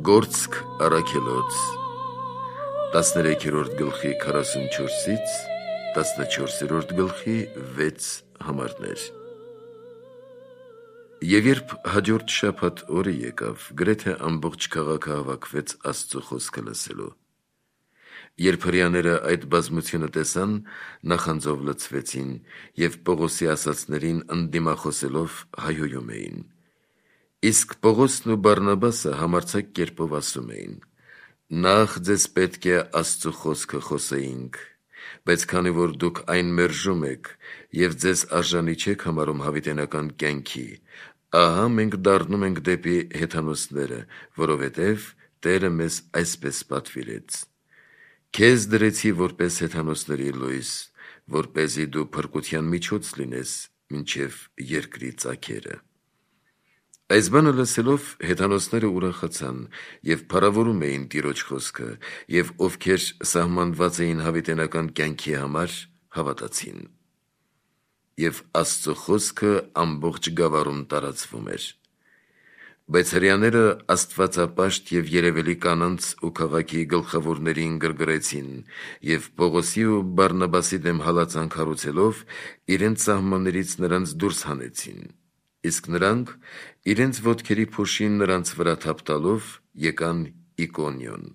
Գործք առաքելոց 13-րդ գլխի 44-ից 14-րդ գլխի 6 համարներ։ Եվ երբ հաջորդ շաբաթ օրը եկավ, գրեթե ամբողջ քաղաքը հավաքվեց Աստծո խոսքը լսելու։ Երբ հրեաները այդ բազմությունը տեսան, նախանձով լցվեցին և Պողոսի ասածներին ընդդիմախոսելով հայհոյում էին։ Իսկ Պողոսն ու Բարնաբասը համարձակ կերպով ասում էին. «Նախ ձեզ պետք է Աստծո խոսքը խոսեինք, բայց քանի որ դուք այն մերժում եք և ձեզ արժանի չեք համարում հավիտենական կյանքի, ահա մենք դառնում ենք դեպի հեթանոսները, որովհետև Տերը մեզ այսպես պատվիրեց. Քեզ դրեցի որպես հեթանոսների լույս, որպեսզի դու փրկության միջոց լինես մինչև երկրի ծագերը»։ Այս բանը լսելով հեթանոսները ուրախացան և փառավորում էին Տիրոջ խոսքը, և ովքեր սահմանված էին հավիտենական կյանքի համար, հավատացին։ Եվ Աստծո խոսքը ամբողջ գավառում տարածվում էր։ Բայց հրեաները աստվածապաշտ և երևելի կանանց ու քաղաքի գլխավորներին գրգռեցին և Պողոսի ու Բարնաբասի դեմ հալածանք հարուցելով, իրենց սահմաններից նրանց դուրս հանեցին, իսկ նրանք, իրենց ոտքերի փոշին նրանց վրա թափ տալով, եկան Իկոնիոն,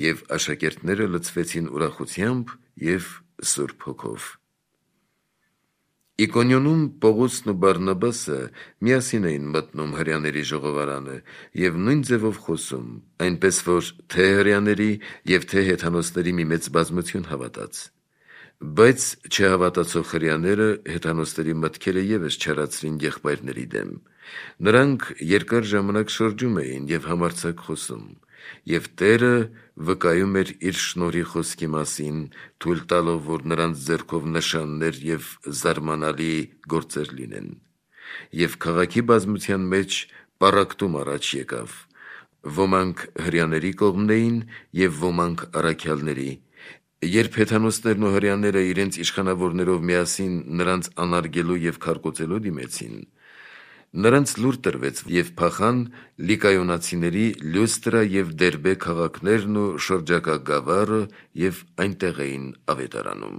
և աշակերտները լցվեցին ուրախությամբ և Սուրբ Հոգով։ Իկոնիոնում Պողոսն ու Բարնաբասը միասին էին մտնում հրեաների ժողովարանը և նույն ձևով խոսում, այնպես որ թե հրեաների և թե հեթանոսների մի մեծ բազմություն հավատաց։ Բայց չհավատացող հրեաները հեթանոսների մտքերը ևս չարացրին եղբայրների դեմ։ Նրանք երկար ժամանակ շրջում էին և համարձակ խոսում, և Տերը վկայում էր իր շնորհի խոսքի մասին, թույլ տալով, որ նրանց ձեռքով նշաններ և զարմանալի գործեր լինեն։ Եվ քաղաքի բազմության մեջ պառակտում առաջ եկավ. ոմանք հրեաների կողմն էին և ոմանք առաքյալների։ Երբ հեթանոսներն ու հրեաները իրենց իշխանավորներով միասին նրանց անարգելու և քարկոծելու դիմեցին, նրանց լուր տրվեց և փախան լիկայոնացիների Լյուստրա և Դերբե քաղաքներն ու շրջակա գավառը և այնտեղ էին ավետարանում։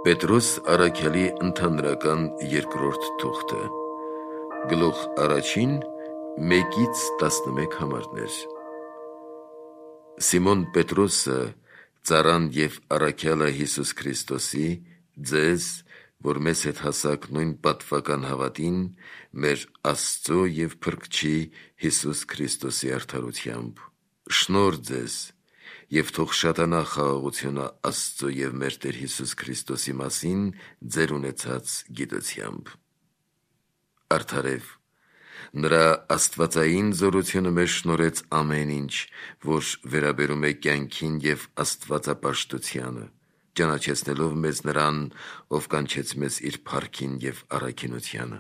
Պետրոս առաքյալի ընդհանրական երկրորդ թուղթը, գլուխ 1, 1-11 համարներ։ Սիմոն Պետրոսը, ծառան և առաքյալը Հիսուս Քրիստոսի, ձեզ, որ մեզ հետ հասաք նույն պատվական հավատին, մեր Աստծո և Փրկչի Հիսուս Քրիստոսի արդարությամբ, շնորհ ձեզ, և թող շատանա խաղաղությունը Աստծո և մեր Տեր Հիսուս Քրիստոսի մասին ձեր ունեցած գիտությամբ։ Արդարև, նրա աստվածային զորությունը մեզ շնորհեց ամեն ինչ, որ վերաբերում է կյանքին և աստվածապաշտությանը, ճանաչեցնելով մեզ նրան, ով կանչեց մեզ իր փառքին և առաքինությանը։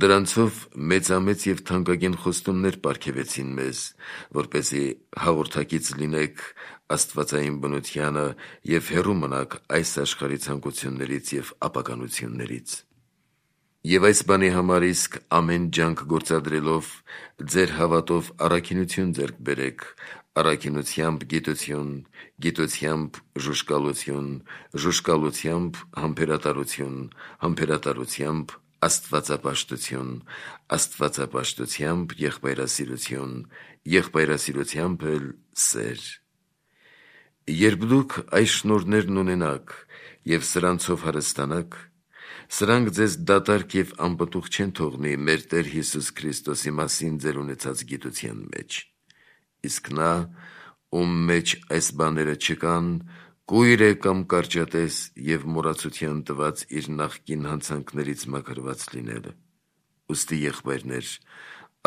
Դրանցով մեծամեծ և թանկագին խոստումներ պարգևեցին մեզ, որպեսզի հաղորդակից լինենք աստվածային բնությանը և հեռու մնանք այս աշխարհի ցանկություններից և ապականություններից։ Եվ այս բանի համար իսկ ամեն ջանք գործադրելով, ձեր հավատով առաքինություն ձեռք բերեք, առաքինությամբ գիտություն, գիտությամբ ժուժկալություն, ժուժկալությամբ համբերատարություն, համբերատարությամբ աստվածապաշտություն, աստվածապաշտությամբ եղբայրասիրություն, եղբայրասիրությամբ էլ սեր։ Երբ դուք այս շնորհներն ունենաք և սրանցով հարստանաք, սրանք ձեզ դատարկ և անպտուղ չեն թողնի մեր Տեր Հիսուս Քրիստոսի մասին ձեր ունեցած գիտության մեջ։ Իսկ նա, ում մեջ այս բաները չկան, կույր է կամ կարճատես և մոռացության տված իր նախկին հանցանքներից մաքրված լինելը։ Ուստի, եղբայրներ,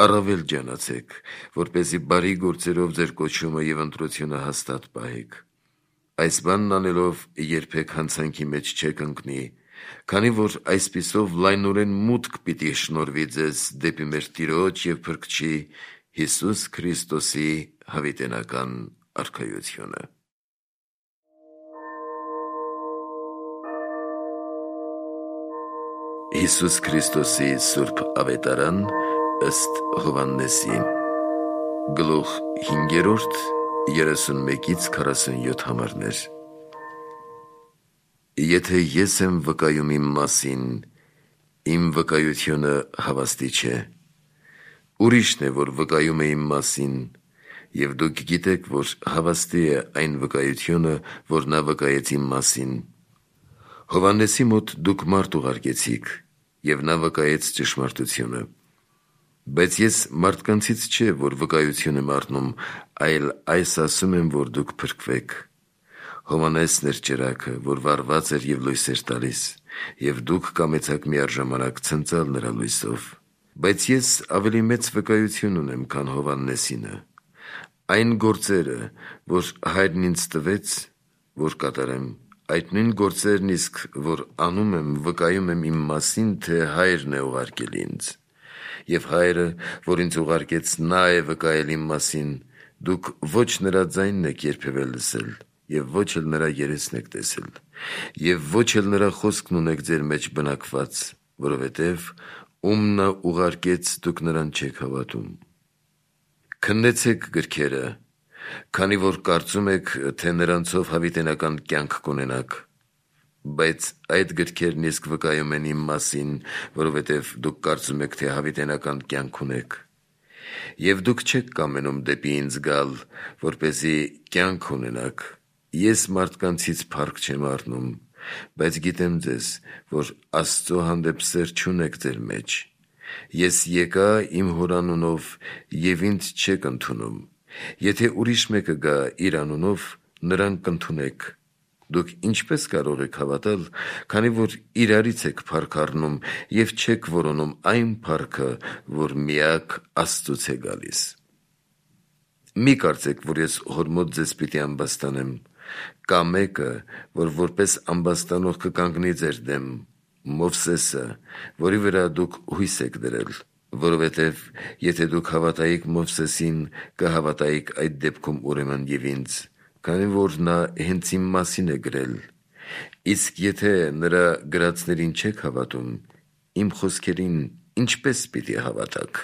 առավել ջանացեք, որպեսզի բարի գործերով ձեր կոչումը և ընտրությունը հաստատ պահեք։ Այս բանն անելով երբեք հանցանքի մեջ չեք ընկնի, քանի որ այսպիսով լայնորեն մուտք պիտի շնորհվի ձեզ դեպի մեր Տիրոջ և Փրկչի Հիսուս Քրիստոսի հավիտենական արքայությունը։ Հիսուս Քրիստոսի Սուրբ Ավետարան ըստ Հովհաննեսի Գլուխ 5 31-ից 47 համարներ Եթե ես եմ վկայում իմ մասին, իմ վկայությունը հավաստի չէ, ուրիշն է, որ վկայում է իմ մասին, և դուք գիտեք, որ հավաստի է այն վկայությունը, որ նա վկայեց իմ մասին, Հովհաննեսի մոտ դուք մարդ ուղարկեցիք, և նա վկայեց ճշմարտությունը, բայց ես մարդկանցից չէ, որ վկայություն եմ առնում, այլ այս ասում եմ, որ դուք փրկվեք, Հովհաննեսն էր ճրագը, որ վառված էր և լույս էր տալիս, և դուք կամեցաք միառժամանակ ցնծալ նրա լույսով, բայց ես ավելի մեծ վկայություն ունեմ, քան Հովհաննեսինը, այն գործերը, որ Հայրն ինձ տվեց, որ կատարեմ, այդ նույն գործերն իսկ, որ անում եմ, վկայում եմ իմ մասին, թե Հայրն է ուղարկել ինձ, և Հայրը, որ ինձ ուղարկեց, նա է վկայել իմ մասին, դուք ոչ նրա ձայնն եք երբևէ լսել, և ոչ էլ նրա երեսն եք տեսել, և ոչ էլ նրա խոսքն ունեք ձեր մեջ բնակված, որովհետև ում նա ուղարկեց, դուք նրան չեք հավատում: Քննեցեք գրքերը, քանի որ կարծում եք, թե նրանցով հավիտենական կյանք կունենաք, բայց այդ գրքերն իսկ վկայում են իմ մասին, որովհետև դուք կարծում եք, թե հավիտենական կյանք ունեք, և դուք չեք կամենում դեպի ինձ գալ, որպեսզի կյանք ունենաք, ես մարդկանցից փառք չեմ առնում, բայց գիտեմ ձեզ, որ Աստծո հանդեպ սեր չունեք ձեր մեջ, ես եկա իմ Հոր անունով և ինձ չեք ընդունում, եթե ուրիշ մեկը գա իր անունով, նրան կընդունեք, դուք ինչպե՞ս կարող եք հավատալ, քանի որ իրարից եք փառք առնում և չեք որոնում այն փառքը, որ միակ Աստծուց է գալիս: Մի կարծեք, որ ես Հոր մոտ ձեզ պիտի ամբաստանեմ, կա մեկը, որ որպես ամբաստանող կկանգնի ձեր դեմ, Մովսեսը, որի վրա դուք հույս եք դրել, որովհետև եթե դուք հավատայիք Մովսեսին, կհավատայիք այդ դեպքում ուրեմն և ինձ, քանի որ նա հենց իմ մասին է գրել, իսկ եթե նրա գրածներին չեք հավատում, իմ խոսքերին ինչպե՞ս պիտի հավատաք: